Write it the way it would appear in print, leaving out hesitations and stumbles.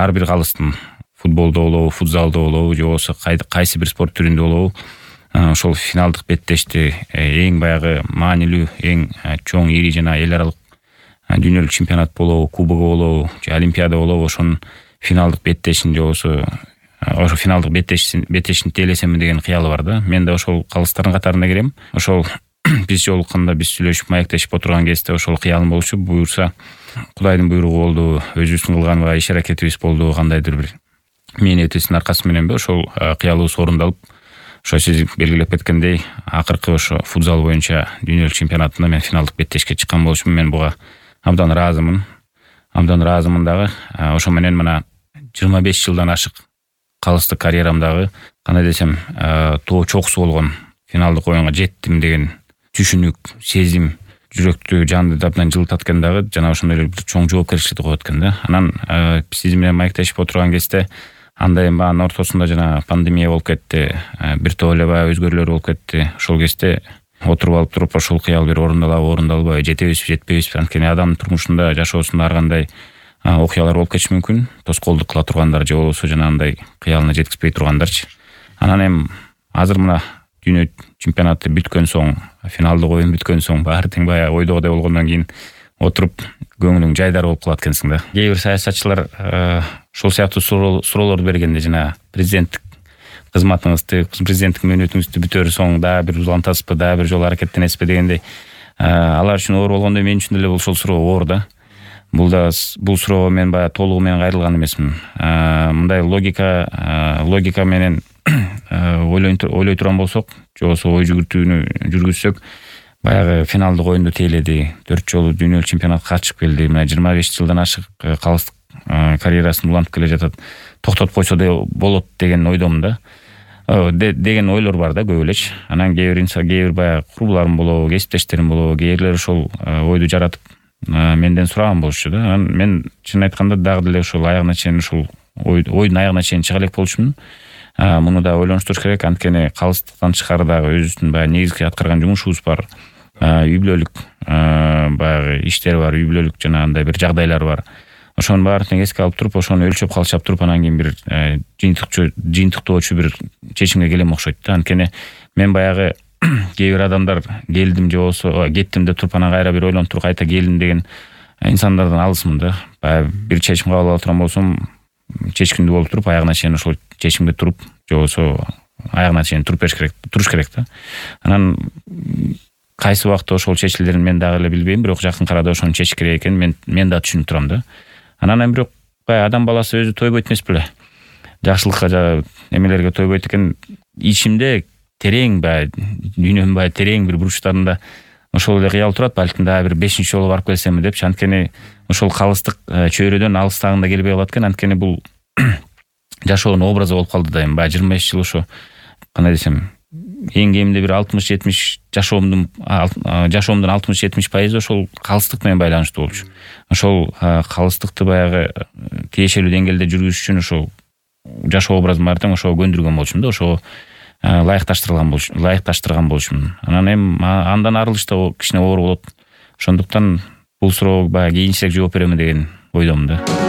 ар бир калыстын футболдо болобу, футзалда болобу, же болбосо кайсы бир спорт түрүндө болобу ошол финалдык беттешти эң баягы маанилүү, эң чоң, ири жана эл аралык дүйнөлүк чемпионат болобу, кубогу болобу, же олимпиада болобу, ошонун финалдык беттешин же болбосо ошо финалдык беттешин тейлесем деген кыялы бар да. Мен да ошол калыстардын катарына кирем. Ошол биз жолукканда, биз сүйлөшүп маектешип отурган кезде ошол кыялым болчу. Буюрса Кудайдын буйругу болду, өзүбүздүн кылганга иш аракетибиз болду, кандайдыр бир мээнетибиздин аркасы мененби ошол кыялыбыз орундалып, ошо сиз белгилеп кеткендей, акыркы ошо футзал боюнча дүйнөлүк чемпионатында мен финалдык беттешке чыккан болчумун. Мен буга абдан ыраазымын дагы. Ошо менен мына 25 жылдан ашык калыстык карьерамдагы, кандай десем, чокусу болгон финалдык оюнга жеттим деген түшүнүк, сезим жүрөктү, жанды абдан жылытат экен дагы, жана ошондой эле бир чоң жоопкерчиликти коет экен да. Анан сиз менен маектешип отурган кезде андай анын ортосунда жана пандемия болуп кетти, бир топ эле баягы өзгөрүүлөр болуп кетти. Ошол кезде отуруп алып туруп ошол кыял бир орундалбайбы, жетебизби, жетпейбизби? Анткени адамдын турмушунда, жашоосунда ар кандай окуялар болуп кетиши мүмкүн. Тоскоолдук кыла тургандар же болбосо жанагындай кыялына жеткизбей тургандарчы. Анан эми азыр мына дүйнө чемпионаты бүткөн соң, финалдык оюн бүткөн соң, баары тең баягы ойдогудай болгондон кийин отуруп көңүлүң жайдары болуп калат экенсиң да. Кээ бир саясатчылар ошол сыяктуу суроолорду бергенде, жана президенттик кызматыңызды, президенттик мөөнөтүңүздү бүтөр соң дагы бир улантасызбы, дагы бир жолу аракеттенесизби дегендей, алар үчүн оор болгондой, мен үчүн деле ошол суроо оор да. Бул суроого мен баягы толугу менен кайрылган эмесмин. Мындай логика менен ойлой турган болсок, же болбосо ой жүгүртүүнү жүргүзсөк, баягы финалдык оюнду тейледи, 4 жолу дүйнөлүк чемпионатка катышып келди. Мына 25 жылдан ашык калыстык карьерасын улантып келе жатат. Токтотуп койсо да болот деген ойдомун да. Деген ойлор бар да көп элечи. Анан кээ бир баягы курбуларым болобу, кесиптештерим болобу, кээрлер ошол ойду жаратып менден сураган болчу да. Анан мен чын айтканда дагы деле ошол аягына чейин ошол ойдун аягына чейин чыга элек болчумун. Муну да ойлонуштуруш керек, анткени калыстыктан тышкары дагы өзүбүздүн баягы негизги аткарган жумушубуз бар. Үй бүлөлүк баягы иштер бар, үй бүлөлүк жана андай бир жагдайлар бар. Ошонун баарын тең эске алып туруп, ошону өлчөп калчап туруп, анан кийин бир жыйынтыктоочу бир чечимге келем окшойт да. Анткени мен баягы кээ бир адамдар келдим же болбосо кеттим деп туруп, анан кайра бир ойлонуп туруп кайта келдим деген инсандардан алысмын да. Баягы бир чечим кабыл ала турган болсом, чечкиндүү болуп туруп, аягына чейин ошол чечимге туруп, же болбосо аягына чейин туруш керек да. Анан кайсы убакта ошол чечилерин мен дагы эле билбейм, бирок жакын арада ошону чечиш керек экен мен да түшүнүп турам да. Анан бирок баягы адам баласы өзү тойбойт эмес беле. Жакшылыкка жана эмелерге тойбойт экен. Ичимде терең, баягы дүйнөнүн баягы терең бир бурчтарында ошол эле кыял турат, балким дагы бир 5-чи жолу барып келсемби депчи. Анткени ошол калыстык чөйрөдөн алыстагында келбей калат экен. Анткени бул жашоонун образы болуп калды да. Эми баягы 25 жыл ошо, кандай десем, эң кеминде бир 60-70 жашоомдун 60-70% ошол калыстык менен байланыштуу болчу. Ошол калыстыкты баягы тиешелүү деңгээлде жүргүзүш үчүн ошол жашоо образын баары тең ошого көндүргөн болчумун да, ошого ылайыкташтырган болчумун. Анан эми андан арылыш да кичине оор болот. Ошондуктан бул суроого баягы кийинчерээк жооп беремин деген ойдомун да.